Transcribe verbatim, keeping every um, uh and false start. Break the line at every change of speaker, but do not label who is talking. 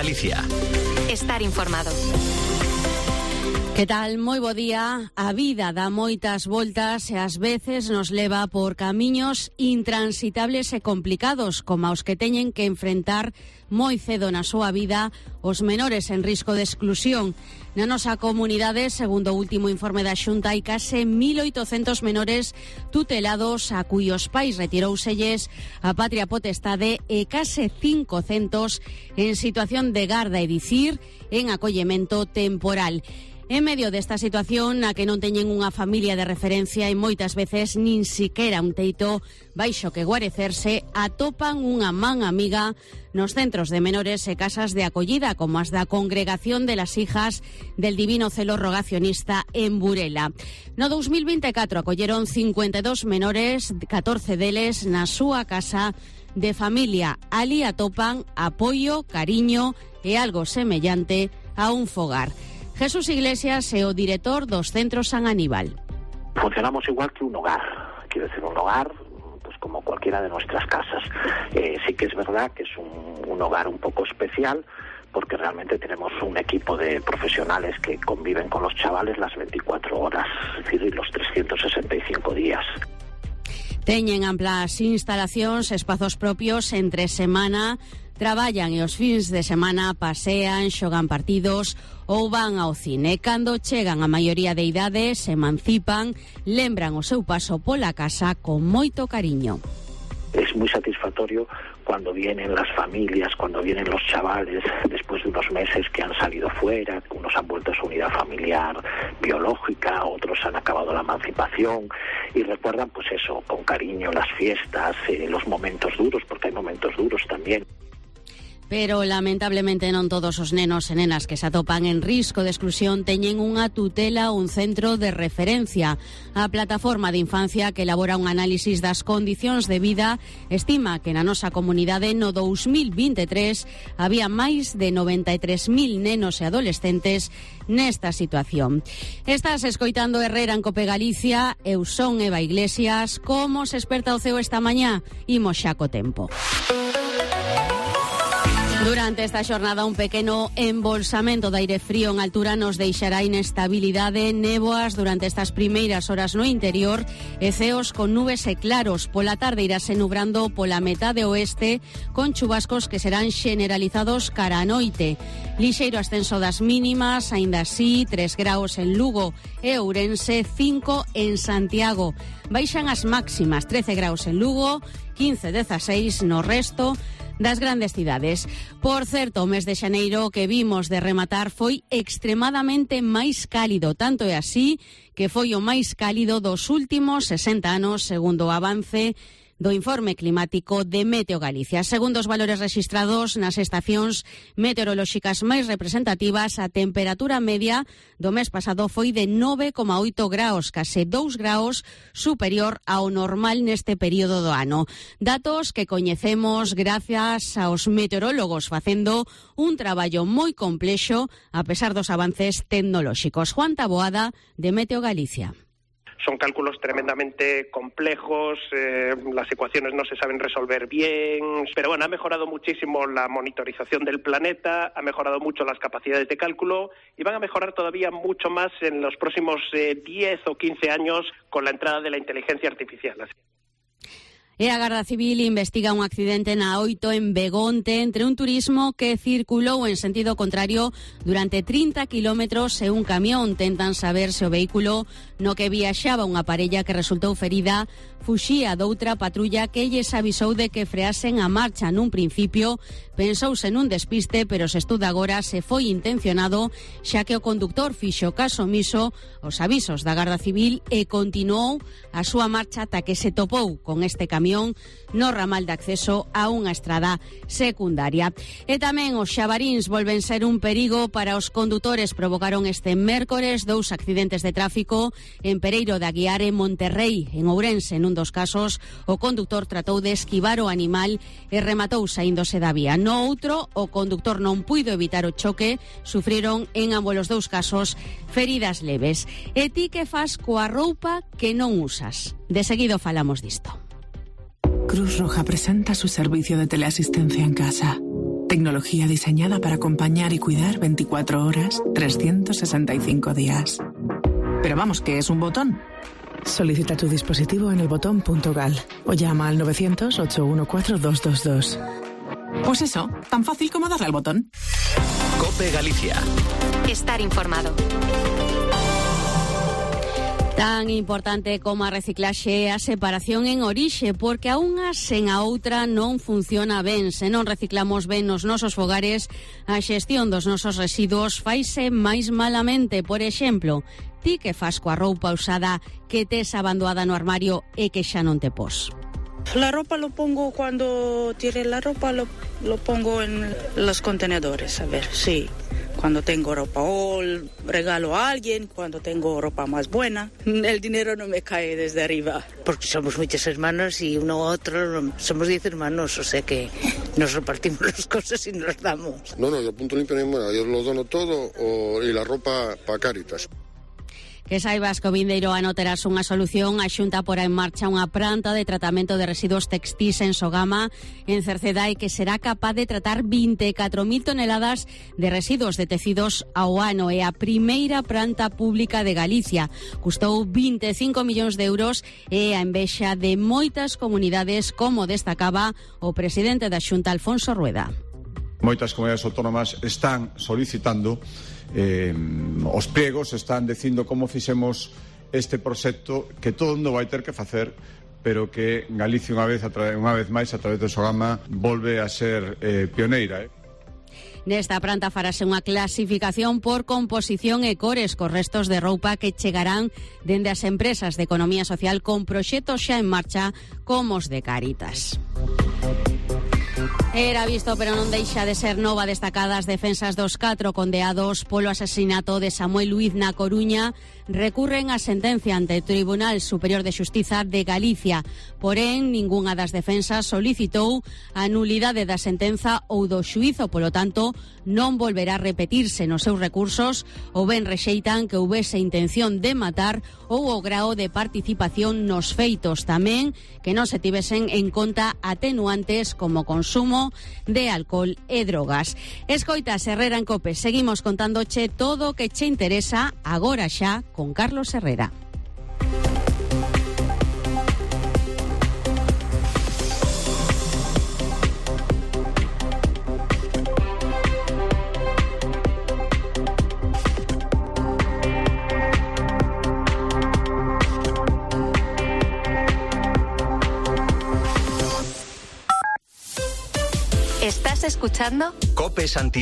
Galicia.
Estar informado.
Que tal? Moi bo día. A vida dá moitas voltas e ás veces nos leva por camiños intransitables e complicados, como os que teñen que enfrentar moi cedo na súa vida os menores en risco de exclusión. Na nosa comunidade, segundo o último informe da Xunta, hai case mil oitocentos menores tutelados a cuyos pais retirouselles a patria potestade e case cincocentos en situación de garda, é dicir, en acollemento temporal. En medio desta situación na que non teñen unha familia de referencia e moitas veces nin siquera un teito baixo que guarecerse, atopan unha man amiga nos centros de menores e casas de acollida como as da Congregación de las Hijas del Divino Celo Rogacionista en Burela. No dous mil vinte e catro acolleron cincuenta e dos menores, catorce deles na súa casa de familia. Ali atopan apoio, cariño e algo semellante a un fogar. Jesús Iglesias é o director dos Centros San Aníbal.
Funcionamos igual que un hogar, quiero decir, un hogar pues como cualquiera de nuestras casas. Eh, sí que es verdad que es un, un hogar un poco especial, porque realmente tenemos un equipo de profesionales que conviven con los chavales las veinticuatro horas, es decir, los trescientos sesenta y cinco días.
Teñen amplas instalacións, espazos propios entre semana, traballan e os fins de semana pasean, xogan partidos ou van ao cine. Cando chegan a maioría de idade, se emancipan, lembran o seu paso pola casa con moito cariño.
Es muy satisfactorio cuando vienen las familias, cuando vienen los chavales después de unos meses que han salido fuera, unos han vuelto a su unidad familiar biológica, otros han acabado la emancipación y recuerdan pues eso, con cariño las fiestas, eh, los momentos duros, porque hay momentos duros también.
Pero, lamentablemente, non todos os nenos e nenas que se atopan en risco de exclusión teñen unha tutela ou un centro de referencia. A Plataforma de Infancia, que elabora un análisis das condicións de vida, estima que na nosa comunidade no dous mil vinte e tres había máis de noventa e tres mil nenos e adolescentes nesta situación. Estás escoitando Herrera en Cope Galicia, eu son Eva Iglesias. Como se esperta o ceo esta mañá? Imos xa co tempo. Durante esta xornada, un pequeno embolsamento de aire frío en altura nos deixará inestabilidade, néboas durante estas primeiras horas no interior e ceos con nubes e claros. Pola tarde irase nubrando pola metade oeste con chubascos que serán xeneralizados cara a noite. Lixeiro ascenso das mínimas, aínda así, tres graus en Lugo e Ourense, cinco en Santiago. Baixan as máximas, trece graus en Lugo, quince, dezaseis no resto das grandes cidades. Por certo, o mes de xaneiro que vimos de rematar foi extremadamente máis cálido, tanto é así que foi o máis cálido dos últimos sesenta anos, segundo o avance do informe climático de Meteo Galicia. Segundo os valores rexistrados nas estacións meteorolóxicas máis representativas, a temperatura media do mes pasado foi de nove coma oito graus, case dous graus superior ao normal neste período do ano. Datos que coñecemos gracias aos meteorólogos facendo un traballo moi complexo a pesar dos avances tecnolóxicos. Juan Taboada, de Meteo Galicia.
Son cálculos tremendamente complejos, eh, las ecuaciones no se saben resolver bien, pero bueno, ha mejorado muchísimo la monitorización del planeta, ha mejorado mucho las capacidades de cálculo y van a mejorar todavía mucho más en los próximos eh, diez o quince años con la entrada de la inteligencia artificial.
E a Garda Civil investiga un accidente na oito en Begonte entre un turismo que circulou en sentido contrario durante trinta kilómetros e un camión. Tentan saber se o vehículo no que viaxaba unha parella que resultou ferida fuxía doutra patrulla que lles avisou de que freasen a marcha. Nun principio pensouse nun despiste, pero se estuda agora se foi intencionado, xa que o conductor fixo caso omiso aos avisos da Garda Civil e continuou a súa marcha ata que se topou con este camión no ramal de acceso a unha estrada secundaria. E tamén os xabaríns volven ser un perigo para os condutores. Provocaron este mércores dous accidentes de tráfico en Pereiro de Aguiar e Monterrey, en Ourense. Nun dos casos, o conductor tratou de esquivar o animal e rematou saíndose da vía. No outro, o conductor non puido evitar o choque, sufriron en ambos os dous casos feridas leves. E ti que fas coa roupa que non usas? De seguido falamos disto.
Cruz Roja presenta su servicio de teleasistencia en casa.
Tecnología diseñada para acompañar y cuidar veinticuatro horas, trescientos sesenta y cinco días. Pero vamos, ¿qué es un botón? Solicita tu dispositivo en elbotón punto gal o llama al novecientos, ocho uno cuatro, dos dos dos. Pues eso, tan fácil como darle al botón.
COPE Galicia.
Estar informado.
Tan importante como a reciclaxe a separación en orixe, porque a unha sen a outra non funciona ben. Se non reciclamos ben nos nosos fogares, a xestión dos nosos residuos faise máis malamente. Por exemplo, ti que fas coa roupa usada que tes abandoada no armario e que xa non te pos.
La ropa lo pongo cuando tire la ropa, lo, lo pongo en los contenedores, a ver, sí. Cuando tengo ropa o regalo a alguien, cuando tengo ropa más buena. El dinero no me cae desde arriba.
Porque somos muchos hermanos y uno u otro, somos diez hermanos, o sea que nos repartimos las cosas y nos damos.
No, no, yo punto limpio ni moda, yo lo dono todo o, y la ropa para Cáritas.
Que saibas que o vindeiro ano terás unha solución. A Xunta porá en marcha unha planta de tratamento de residuos textís en Sogama, en Cercedai, que será capaz de tratar vinte e catro mil toneladas de residuos de tecidos ao ano. É a primeira planta pública de Galicia. Custou vinte e cinco millóns de euros e a envexa de moitas comunidades, como destacaba o presidente da Xunta, Alfonso Rueda.
Moitas comunidades autónomas están solicitando eh, os pregos, están dicindo como fixemos este proxecto que todo mundo vai ter que facer, pero que Galicia unha vez, unha vez máis a través do Sogama volve a ser eh, pioneira. Eh.
Nesta planta farase unha clasificación por composición e cores cos restos de roupa que chegarán dende as empresas de economía social con proxectos xa en marcha como os de Cáritas. Era visto, pero non deixa de ser nova destacada as defensas dos catro condeados polo asasinato de Samuel Luiz na Coruña. Recurren a sentencia ante o Tribunal Superior de Xustiza de Galicia. Porén, ningunha das defensas solicitou a nulidade da sentenza ou do xuízo, polo tanto, non volverá a repetirse nos seus recursos, ou ben rexeitan que houbese intención de matar ou o grao de participación nos feitos. Tamén que non se tivesen en conta atenuantes como consumo de alcohol e drogas. Escoitas Herrera en COPE. Seguimos contándoche todo o que che interesa agora xa con Carlos Herrera.
¿Estás escuchando?
COPE Santiago.